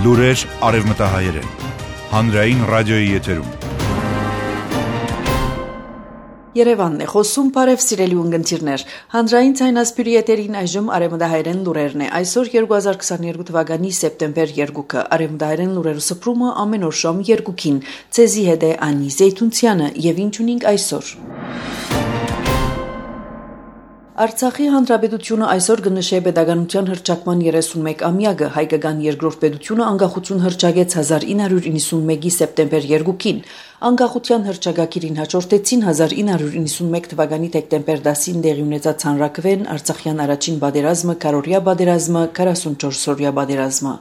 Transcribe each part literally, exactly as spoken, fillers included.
Լուրեր արևմտահայերեն, հանրային ռադիոյի եթերում։ Երևանն է խոսում, բարև սիրելի ունգընտիրներ, հանրային ցայնասպյուրի եթերին այժմ արևմտահայերեն լուրերն է, այսօր երկու հազար քսաներկու թվականի սեպտեմբեր երկուքը, արևմտահայերեն լուրերու սփռումը ամեն օր շամ երկուքին, ցեզի հետ է Անի Զեյթունցյանը եւ ինչ ունենք այսօր։ Արցախի հանրապետությունը այսօր կնշե պետականության հռչակման երեսունմեկ-ամյակը, հայկական երկրորդ պետությունը անկախություն հռչակեց հազար ինը հարյուր իննսունմեկի սեպտեմբեր երկուքին, անկախության հռչակագիրին հաջորդեցին հազար ինը հարյուր իննսունմեկ թվականի դեկտեմբեր դասին տեղի ունեցած հանրաքվեն, Արցախյան առաջին պատերազմը, քառօրյա պատերազմը, քառասունչորսօրյա պատերազմը։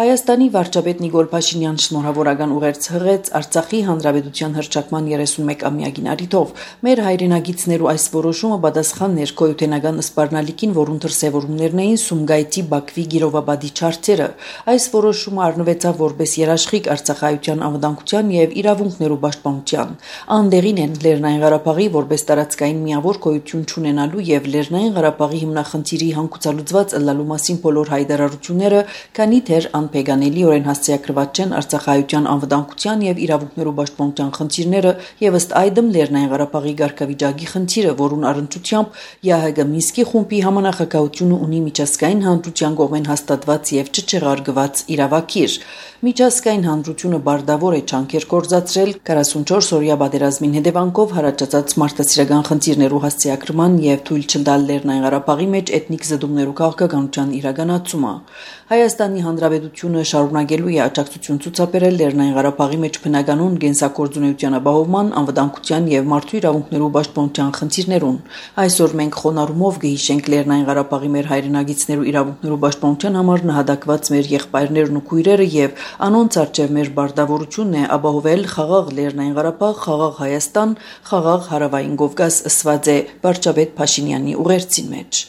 Հայաստանի վարչապետ Նիկոլ Փաշինյանն շնորհավորական ուղերձ հղեց Արցախի հանրապետության հռչակման երեսունմեկ-ամյակին առիթով։ Մեր հայրենագիտներու այս որոշումը պատասխան ներկայութենական սպառնալիքին, որուն դրսևորումներն էին Սումգայիթի Բաքվի Գիրովաբադի չարթերը։ Այս որոշումը առնվեցավ որպես երաշխիք Արցախայության անվտանգության եւ իրավունքներու պաշտպանության։ Անդեղին են Լեռնային Ղարաբաղի որպես տարածքային միավոր գոյություն չունենալու եւ Լեռնային Ղարաբաղի հիմնախնդիրի հանգուցալուծված ըլլալու մասին բոլոր հայտարարությունները, քանի դեռ անփեգանելիորեն հասցեագրված չեն Արցախայության անվտանգության եւ իրավունքներու պաշտպանության խնդիրները եւ ըստ այդմ Լեռնային Ղարաբաղի ղարքավիճակի խնդիրը, որուն առընչությամբ ԵԱՀԿ Մինսկի խումբի համանախագահությունը ունի միջազգային հանրության կողմեն հաստատված եւ չչեղարկված իրավակիր։ Միջազգային հանրությունը բարդավոր է ջանքեր կործացրել քառասունչորսօրյա պատերազմին հետևանքով հարաճած մարդասիրական խնդիրներու հասցեագրման եւ թույլ չտալ Լեռնային Ղարաբաղի մեջ էթնիկ զդումներու քաղաքականության իրականացումը։ Հայաստանի Հանրապետությունը շարունակելու է աջակցություն ցուցաբերել Լեռնային Ղարաբաղի մեջ բնականոն գենսակորձունեության ապահովման, անվտանգության եւ մարդու իրավունքներու պաշտպանության խնդիրներուն։ Այսօր մենք խոնարհումով կհիշենք Լեռնային Ղարաբաղի մեր հայրենագիտներու իրավունքներու պաշտպանության համար նահատակված մեր եղբայրներն ու քույրերը եւ անոնց արչեւ մեր բարդավորությունն է ապահովել խաղաղ Լեռնային Ղարաբաղ, խաղաղ Հայաստան, խաղաղ Հարավային Կովկաս, ըսված է վարչապետ Փաշինյանի ուղերձին մեջ։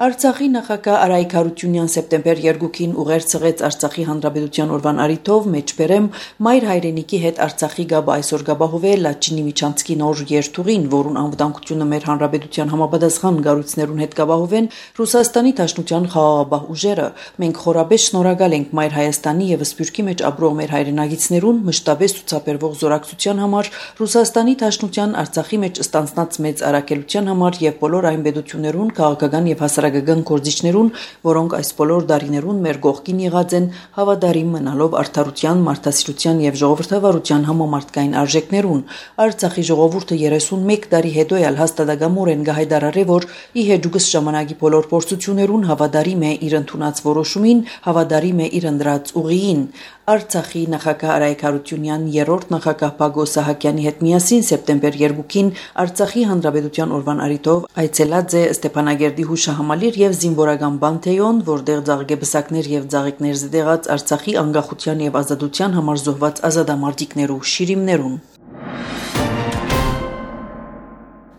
Արցախի նախագահ Արայիկ Հարությունյան սեպտեմբեր երկուքին ուղերձ հղեց Արցախի հանրապետության օրվան առիթով մեջբերեմ մայր հայրենիքի հետ Արցախի գաբը այսօր գաբահովել Լաչինի միջանցքի նոր երթուղին, որուն անվտանգությունը մեր հանրապետության համապատասխան գառույցներուն հետ գաբահովեն Ռուսաստանի Դաշնության խաղաղապահ ուժերը։ Մենք խորապես շնորհակալ ենք մայր Հայաստանի եւ Սփյուռքի մեջ ապրող մեր հայրենագիտներուն մշտապես ցուցաբերվող զորակցության համար, Ռուսաստանի Դաշնության Արցախի մեջ ստանձնած մեծ առաքելության համար եւ բոլոր այն պետություններուն, քաղաքական եւ հասարակական գործիչներուն, որոնք այս բոլոր դարիներուն մեր կողքին եղած են, հավատարիմ մնալով արդարության, մարդասիրության եւ ժողովրդավարության համամարտկային արժեքներուն։ Արցախի ժողովուրդը երեսունմեկ տարի հետո էլ հաստատակամորեն կհայտարարի, որ ի հեճուկս ժամանակի բոլոր փորձություններուն հավատարիմ է իր ընդունած որոշումին, հավատարիմ է իր ընդրած ուղիին։ Արցախի նախագահ Արայիկ Հարությունյան երրորդ նախագահ Բագո Սահակյանի հետ միասին սեպտեմբեր երկուքին Արցախի հանրապետության օրվան առիթով այցելած է Ստեփանագերդի հուշահամալիր եւ զինվորական բանթեոն, որտեղ ձաղիկեբսակներ եւ ձաղիկներ զդեղած Արցախի անկախության եւ ազատության համար զոհված ազատամարտիկներու շիրիմներուն։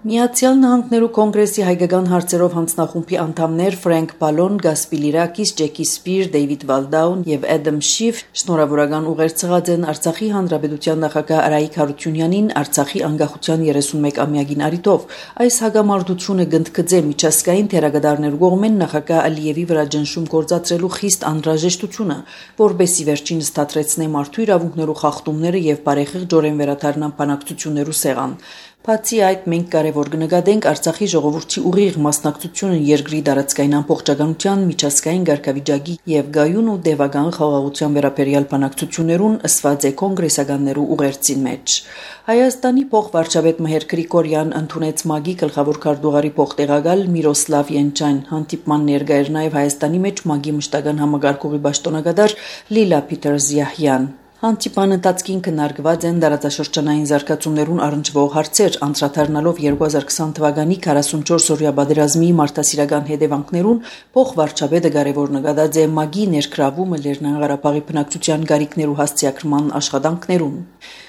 Միացյալ Նահանգներու կոնգրեսի հայկական հարցերով հանձնախումբի անդամներ Ֆրենկ Բալոն, Գասպիլիրակիս, Ջեկի Սպիր, Դեյվիդ Վալդաուն եւ Էդեմ Շիֆ շնորհավորական ուղերձ հղած են Արցախի հանրապետության նախագահ Արայիկ Հարությունյանին Արցախի անկախության երեսունմեկ-ամյակին առիթով։ Այս հագամարտությունը գնդկծե միջազգային թերագադարներու կողմեն նախագահ Ալիևի վրա ճնշում գործադրելու խիստ անհրաժեշտությունը, որբեսի վերջինս դադրեցնե մարդու իրավունքներու խախտումները եւ բարեխիղճորեն վերադառնան բանակցություններու սեղան։ Բացի այդ, մենք կարևոր կնկատենք Արցախի ժողովրդի ուղիղ մասնակցությունը երկրի տարածքային ամբողջականության, միջազգային ղարքավիճակի եւ գայուն ու դեվական խաղաղության վերաբերյալ բանակցություններուն, ըսված է կոնգրեսականներու ուղերձին մեջ։ Հայաստանի փոխվարչապետ Մհեր Գրիգորյան ընդունեց ՄԱԳ-ի գլխավոր քարտուղարի փոխտեղակալ Միրոսլավ Յենչյան, հանդիպման ներկա էր նաեւ Հայաստանի մեջ ՄԱԳ-ի մշտական համագարկողի պաշտոնակատար Լիլա Փիթերզյահյան։ Հանդիպան ընթացքին քննարկված են տարածաշրջանային զարգացումներուն առնչվող հարցեր, անդրադառնալով երկու հազար քսան թվականի քառասունչորսօրյա պատերազմի մարդասիրական հետևանքներուն, փոխվարչապետը կարևոր նկատած է ՄԱԳ-ի ներգրավումը Լեռնային Ղարաբաղի բնակչության գարիքներու հասցեագրման աշխատանքներուն։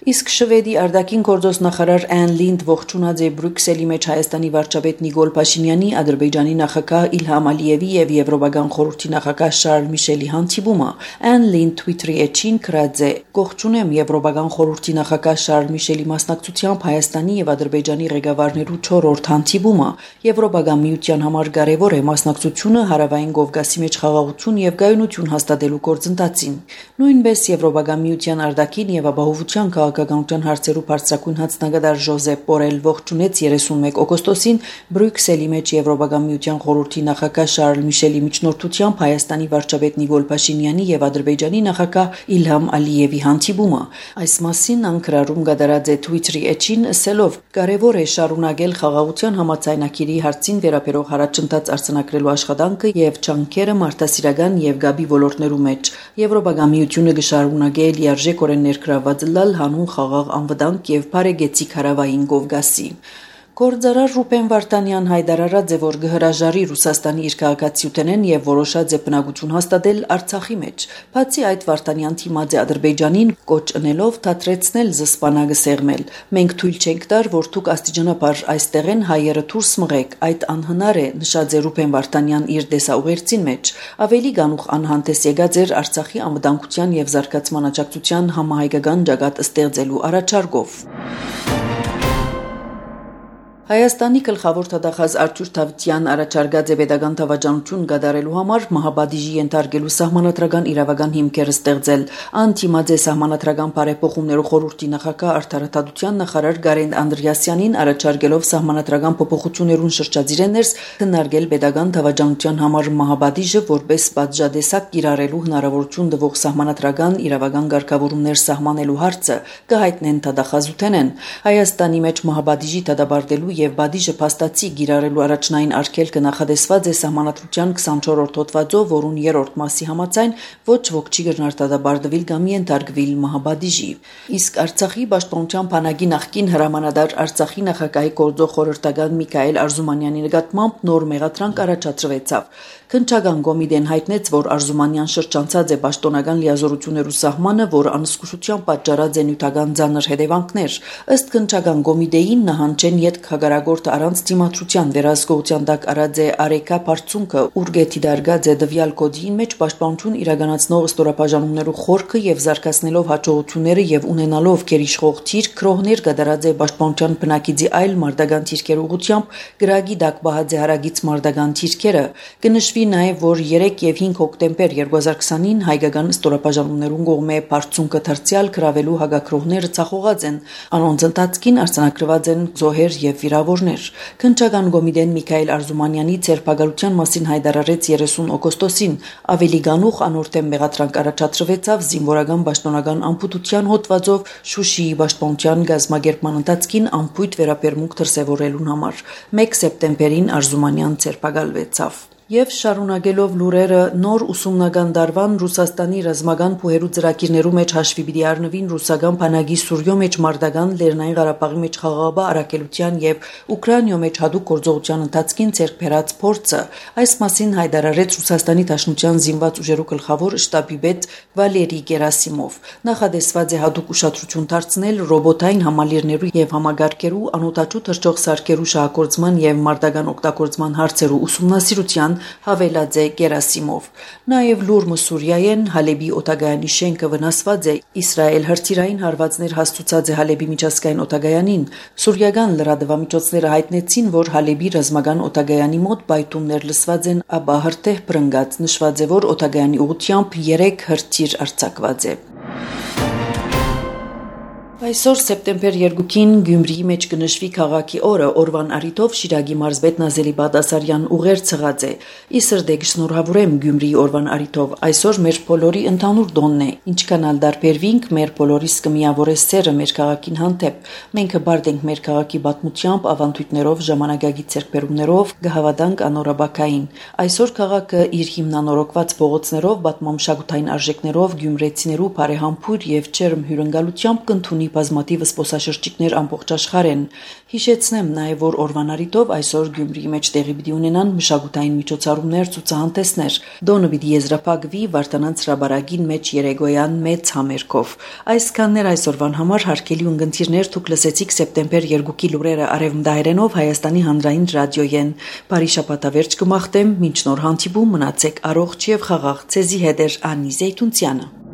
Իսկ Շվեդի արտաքին գործոստ նախարար Անն Լինդ ողջունած է Բրյուսելի մեջ Հայաստանի վարչապետ Նիկոլ Փաշինյանի, Ադրբեջանի նախագահ Իլհամ Ալիևի եւ Եվրոպական խորհրդի նախագահ Շարլ Միշելի հանդիպումը։ Անն Լինդ Twitter-ի էջին գրած է. «Կողջունեմ Եվրոպական խորհրդի նախագահ Շարլ Միշելի մասնակցությամբ Հայաստանի եւ Ադրբեջանի ղեկավարներու չորրորդ հանդիպումը։ Եվրոպական միության համար կարեւոր է մասնակցությունը հարավային Կովկասի մեջ խաղաղություն եւ գայունություն հաստատելու գործընթացին։ Նույնպես Եվրոպական միության արտաքին եւ ապահովության քաղաքականության հարցերու բարձրագույն հանձնագետար Ժոզեփ Բորել ողջունեց երեսունմեկ օգոստոսին Բրյուսելի մեջ Եվրոպական միության խորհրդի նախագահ Շարլ Միշելի միջնորդությամբ Հայաստանի վարչապետ Նիկոլ Փաշինյանի եւ Ադրբեջանի նախագահ Իլհամ Ալիևի հանդիպումը։ Այս մասին անկրարում կատարած է Twitter-ի էջին, ասելով. «Կարևոր է շարունակել խաղաղության համաձայնագիրի հարցին վերաբերող առաջընթաց արձանագրելու աշխատանքը եւ ջանքերը մարդասիրական եւ գաբի ոլորտներու մեջ։ Եվրոպական միությունը կշարունակե լիարժեքորեն ներգրավված լալ հանուն խաղաղ անվտանգ եւ բարեգեցիկ հարավային Կովկասի»։ Գործարար Ռուբեն Վարդանյան հայտարարած է, որ կհրաժարի Ռուսաստանի իր քաղաքացիութենեն եւ որոշած է բնակություն հաստատել Արցախի մեջ։ Բացի այդ, Վարդանյան թիմած է Ադրբեջանին կոչ ընելով դադրեցնել զսպանակը սեղմել։ «Մենք թույլ չենք տար, որ դուք աստիճանաբար այստեղեն հայերը դուրս մղեք, այդ անհնար է», նշած է Ռուբեն Վարդանյան իր դեսաուղերձին մեջ։ Ավելի գանուխ անհանդես եկած էր Արցախի անվտանգության եւ զարգացման աջակցության համահայկական ճակատ ստեղծելու առաջարկով։ Հայաստանի գլխավոր թագախազ Արթուր Դավթյան առաջարկած է պետական դավաճանություն կատարելու համար մահապատիժի ենթարկելու սահմանադրական իրավական հիմքեր ստեղծել։ Անտիմաձ է սահմանադրական բարեփոխումներու խորհրդի նախագահ արդարադատության նախարար Գարեն Անդրեասյանին առաջարկելով սահմանադրական փոփոխություններուն շրջադիրներս քննարկել պետական դավաճանության համար մահապատիժը որպես պատժադեսակ կիրառելու հնարավորություն տվող սահմանադրական իրավական կարգավորումներ սահմանելու հարցը կհայտնեն թագախազութենեն։ Հայաստանի մեջ մահապատիժի դադարելու եւ բադիժը փաստացի գիրառելու առաջնային արգելքը նախադեсված է սահմանադրության քսանչորրորդ հոդվածով, որուն երրորդ մասի համաձայն ոչ ոք չի գնահատաբարդվել կամ ենթարկվել մահապատիժի։ Իսկ Արցախի պաշտպանության բանակի նախկին հրամանատար Արցախի նախագահի գործող խորհրդական Միքայել Արզումանյանի նկատմամբ նոր մեղադրանք առաջադրվեցավ։ Քննչական կոմիտեն հայտնեց, որ Արզումանյան շրջանցած է պաշտոնական լիազորություններու սահմանը, որ անզգուշությամբ պատճառած է նյութական ծանր հետևանքներ։ Ըստ քննչական կոմիտեին նահանջեն յետք հագարագորտը առանց դիմադրության վերահսկողության տակ արած է Արեքա Փարցունքը, ուրգեթի դարգած է դվյալ կոդին մեջ պաշտպանություն իրականացնող ստորապաժանումներու խորքը եւ զարգացնելով հաջողությունները եւ ունենալով գերիշխող թիրք քրոհներ կատարած է պաշտպանության բնակիցի այլ մարդական թիրքեր ուղղությամբ գրագի տակ բահած է հարագից մարդական թիրքերը։ Կնշվի նաեւ, որ երեք եւ հինգ հոկտեմբեր երկու հազար քսանին հայկական ստորապաժանումներուն կողմէ Փարցունքը դարձյալ գրավելու հագակրոհները ցախողած են։ Անոնց ընթացքին արձանագրված են զոհեր եւ վիրավորներ։ Քննչական կոմիտեն Միքայել Արզումանյանի ցերպակալության մասին հայտարարեց երեսուն օգոստոսին։ Ավելի գանուխ անորթեմ մեղադրանք առաջադրվեցավ զինվորական պաշտոնական անփութության հոդվածով Շուշիի պաշտպանության գազམ་ագերման ընթացքին անփույթ վերաբերմունք դրսևորելուն համար։ մեկ սեպտեմբերին Արզումանյան ցերպակալվեցավ։ Եվ շարունակելով լուրերը նոր ուսումնական դարվան Ռուսաստանի ռազմական փուհերու ծրագիրներու մեջ հաշվի պիտի առնվին ռուսական բանակի Սուրյո մեջ մարտական Լեռնային Ղարաբաղի մեջ խաղաղապահ առաքելության եւ Ուկրաինայո մեջ հadoop գործողության ընթացքին ցերկ բերած փորձը։ Այս մասին հայտարարեց Ռուսաստանի Դաշնության զինված ուժերու գլխավոր շտաբի պետ Վալերի Գերասիմով։ Նախադեсված է հadoop ուշադրություն դարձնել ռոբոտային համալիրներու եւ համագարկերու անօտաչու թռչող սարքերու շահագործման եւ մարտական օգտագործման հարցերու ուսումնասիրության հավելած է Գերասիմով։ Նաև լուրը Սուրիայեն Հալեբի օտագայանի շենքը վնասված է։ Իսրայել հրթիռային հարվածներ հաստուցած է Հալեբի միջազգային օտագայանին։ Սուրիական լրատվամիջոցները հայտնեցին, որ Հալեբի ռազմական օտագայանի մոտ բայթուններ լսված են, ապա հրթիռ բռնկած նշված է, որ օտագայանի ուղղությամբ երեք հրթիռ արձակված է։ Այսօր սեպտեմբեր երկուին Գյումրիի մեջ կնշվի քաղաքի օրը, օրվան առիթով Շիրակի մարզպետ Նազելի Բադասարյան ուղեր ցղած է։ Իսրդե գշնորհավորեմ Գյումրիի օրվան առիթով, այսօր մեր բոլորի ընդհանուր դոնն է, ինչքան ալ դարբերվինք, մեր բոլորիս կմիավորե սերը մեր քաղաքին հանդեպ։ Մենք հբարդ ենք մեր քաղաքի պատմությամբ, ավանդույթներով, ժամանակագի ցերկբերումներով, գհավատանք անորաբակային։ Այսօր քաղաքը իր հիմնանորոգված փողոցներով, պատմամշակութային արժեքներով, գյումրեցիներու բարեհամբույր եւ ջերմ հյուրընկալությամբ կընդունի ունի բազմաթիվ զբոսաշրջիկներ ամբողջ աշխարհեն։ Հիշեցնեմ նաև, որ օրվան առիթով այսօր Գյումրիի մեջ տեղի պիտի ունենան մշակութային միջոցառումներ, ցուցահանդեսներ։ Դոնը պիտի եզրափակվի Վարդանանց հրաբարագին մեջ երեգոյան մեծ համերգով։ Այսքաններ այսօրվան համար հարգելի ունգընտիրներ, դուք լսեցիք սեպտեմբեր երկուքի լուրերը արևմտահայերենով Հայաստանի հանրային ռադիոյեն։ Բարի շաբաթավերջ կմաղթեմ, մինչ նոր հանդիպում մնացեք առողջ եւ խաղաղ։ Ցեզի հետ է Անի Զեյթունցյանը։